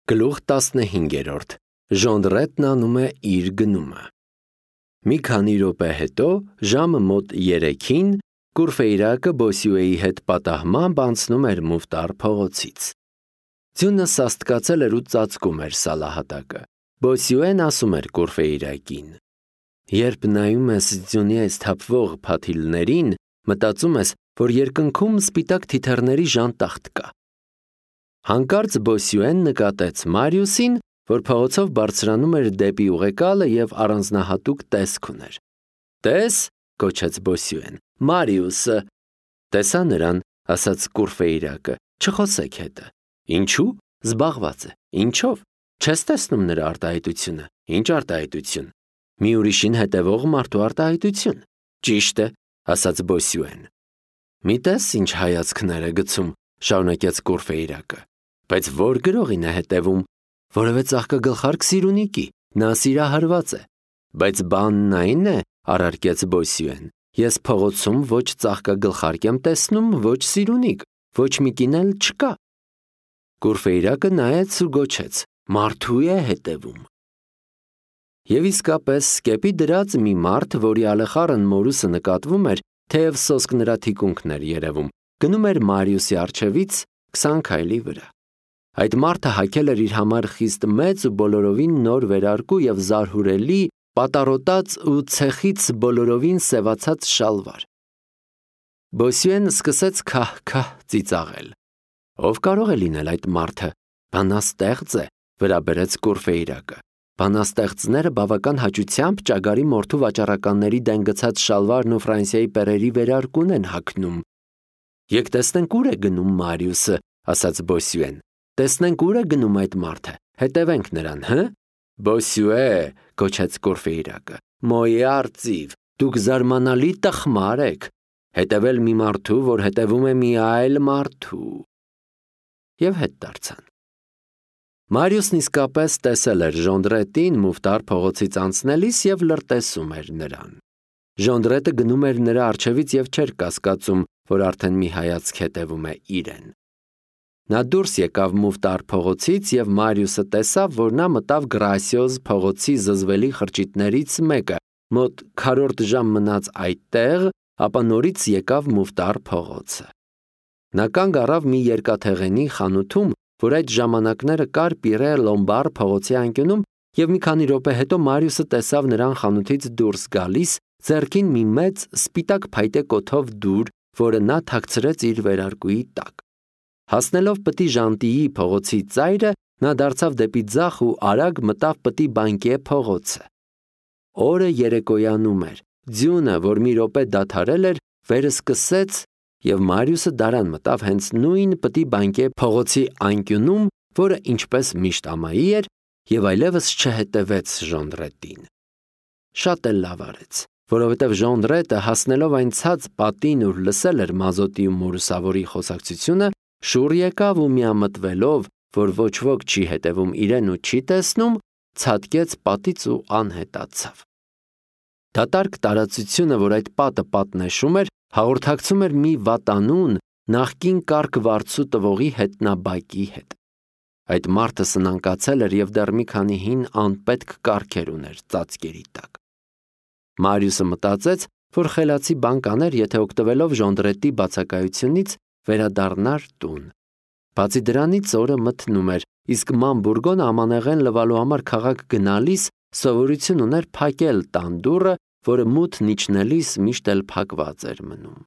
Գլուխ 15. Ժոնդրետն անում է իր գնումը։ Մի քանի րոպե հետո, ժամը մոտ 3-ին, Կուրֆեյրակը Բոսյուեի հետ պատահմամբ անցնում էր Մուֆտար փողոցից։ Ձյունը սաստկացել էր ու ծածկում էր սալահատակը։ Բոսյուեն ասում էր Կուրֆեյրակին. երբ նայում ես ձյունի այս թափվող փաթիլներին, մտածում ես, որ երկնքում սպիտակ թիթեռների ժանտախտ կա։ Հանկարծ Բոսյուեն նկատեց Մարիուսին, որ փողոցով բարձրանում էր դեպի ուղեկալը և առանձնահատուկ տեսք ուներ։ «Տես», կոչեց Բոսյուեն, «Մարիուսը»։ «Տեսա նրան», ասաց Կուրֆեյրակը, «չխոսեք հետը»։ «Ինչու»։ «Զբաղված է»։ «Ինչով»։ «Չես տեսնում նրա արտահայտությունը»։ «Ինչ արտահայտություն»։ «Մի ուրիշին հետևող մարդու արտահայտություն»։ «Ճիշտ է», ասաց Բոսյուեն։ «Մի տես ինչ հայացքներ է գցում», շարունակեց Կուրֆեյրակը։ «Բայց ո՞ր գրողին է հետևում»։ «Որևէ ծաղկագլխարկ սիրունիկի, նա սիրահարված է»։ «Բայց բանն այն է», առարկեց Բոսյուեն, «ես փողոցում ոչ ծաղկագլխարկ եմ տեսնում, ոչ սիրունիկ, ոչ մի կին էլ չկա»։ Կուրֆեյրակը նայեց ու գոչեց. «Մարդու է հետևում»։ Եվ իսկապես սկեպի դրած մի մարդ, որի ալեխառն մորուսը նկատվում էր, թեև սոսկ նրա թիկունքն էր երևում, գնում էր Մարիուսի առջևից 20 քայլի վրա։ Այդ մարդը հագել էր իր համար խիստ մեծ ու բոլորովին նոր վերարկու և զարհուրելի, պատառոտած ու ցեխից բոլորովին սևացած շալվար։ Բոսյուեն սկսեց քահ-քահ ծիծաղել։ «Ով կարող է լինել այդ մարդը»։ «Բանաստեղծ է», վրա բերեց Կուրֆեյրակը։ «Բանաստեղծները բավական հաճությամբ ճագարի մորթու վաճառականների դեն գցած շալվարն ու Ֆրանսիայի պերերի վերարկուն են հագնում»։ «Եկ տեսնենք ուր է գնում Մարիուսը», ասաց Բոսյուեն։ «Տեսնենք ուր է գնում այդ մարդը, հետևենք նրան, հը»։ «Բոսյուե», կոչեց Կուրֆեյրակը, «Մոյե արծիվ, դուք զարմանալի տխմար եք, հետևել մի մարդու, որ հետևում է մի այլ մարդու»։ Եվ հետ դարձան։ Մարիուսն իսկապես տեսել էր Ժոնդրետին Մուֆտար փողոցից անցնելիս և լրտեսում էր նրան։ Ժոնդրետը գնում էր նրա առջևից և չէր կասկածում, որ արդեն մի հայացք հետևում է իրեն։ Նա դուրս եկավ Մուֆտար փողոցից և Մարիուսը տեսավ, որ նա մտավ Գրասիոզ փողոցի զզվելի խրճիթներից մեկը, մոտ քառորդ ժամ մնաց այդտեղ, ապա նորից եկավ Մուֆտար փողոցը։ Նա կանգ առավ մի երկաթեղենի խանութում, որ այդ ժամանակները կար Պիրե Լոմբար փողոցի անկյունում, և մի քանի րոպե հետո Մարիուսը տեսավ նրան խանութից դուրս գալիս, ձեռքին մի մեծ սպիտակ փայտե կոթով դուր, որը նա թաքցրեց իր վերարկուի տակ։ Հասնելով Պտի Ժանտիի փողոցի ծայրը, նա դարձավ դեպի ձախ ու արագ մտավ Պտի Բանկյե փողոցը։ Օրը երեկոյանում էր, ձյունը, որ մի րոպե դադարել էր, վերսկսեց, և Մարիուսը դարան մտավ հենց նույն Պտի Բանկյե փողոցի անկյունում, որը ինչպես միշտ ամայի էր, և այլևս չհետևեց Ժոնդրետին։ Շատ էլ լավ արեց, որովհետև Ժոնդրետը, հասնելով այն ցած պատին, ուր լսել էր Մազոտի ու մորուսավորի խոսակցությունը, շուռ եկավ ու միամտվելով, որ ոչ ոք չի հետևում իրեն ու չի տեսնում, ցատկեց պատից ու անհետացավ։ Դատարկ տարածությունը, որ այդ պատը պատնեշում էր, հաղորդակցում էր մի վատանուն, նախկին կարգ վարձու տվողի հետնաբակի հետ։ Այդ մարդը սնանկացել էր և դեռ մի քանի հին անպետք կառքեր ուներ ծածկերի տակ։ Մարիուսը մտածեց, որ խելացի բան կաներ, եթե օգտվելով Ժոնդրետի բացակայությունից վերադառնար տուն։ Բացի դրանից օրը մթնում էր, իսկ Ման Բուրգոնը ամանեղեն լվալու համար քաղաք գնալիս սովորություն ուներ փակել տան դուռը, որը մութն իջնելիս միշտ էլ փակված էր մնում։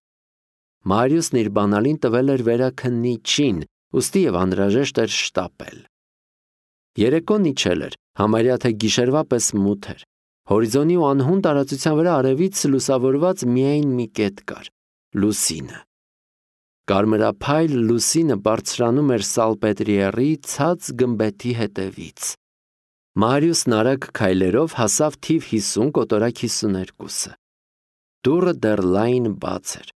Մարիուսն իր բանալին տվել էր վերաքննիչին, ուստի և անհրաժեշտ էր շտապել։ Երեկոն իջել էր, համարյա թե գիշերվա պես մութ էր։ Հորիզոնի ու անհուն տարածության վրա արևից լուսավորված միայն մի կետ կար՝ լուսինը։ Կարմրափայլ լուսինը բարձրանում էր Սալպետրիերի ցած գմբեթի հետևից։ Մարիուսն արագ քայլերով հասավ թիվ 50 կոտորակ 52-ը։ Դուռը դեռ լայն բաց էր։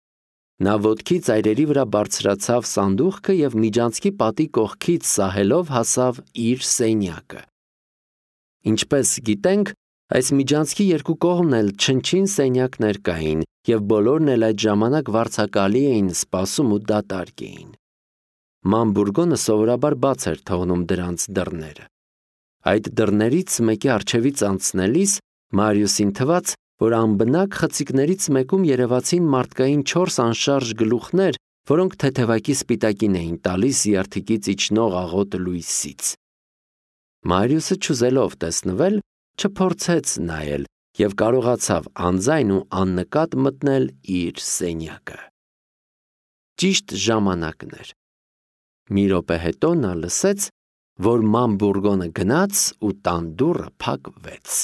Նա ոտքի ծայրերի վրա բարձրացավ սանդուղքը և միջանցքի պատի կողքից սահելով հասավ իր սենյակը։ Ինչպես գիտենք, այս միջանցքի երկու կողմն էլ չնչին սենյակներ կային, և բոլորն էլ այդ ժամանակ վարձակալի էին սպասում ու դատարկ էին։ Մանբուրգոնը սովորաբար բաց էր թողնում դրանց դռները։ Այդ դռներից մեկի առջևից անցնելիս Մարիուսին թվաց, որ անբնակ խցիկներից մեկում երևացին մարդկային 4 անշարժ գլուխներ, որոնք թեթևակի սպիտակին էին տալիս երթիկից իջնող աղոտ լույսից։ Մարիուսը չուզելով տեսնվել, չփորձեց նայել և կարողացավ անձայն ու աննկատ մտնել իր սենյակը։ Ճիշտ ժամանակն էր։ Մի րոպե հետո նա լսեց, որ Մանբուրգոնը գնաց ու տան դուռը փակվեց։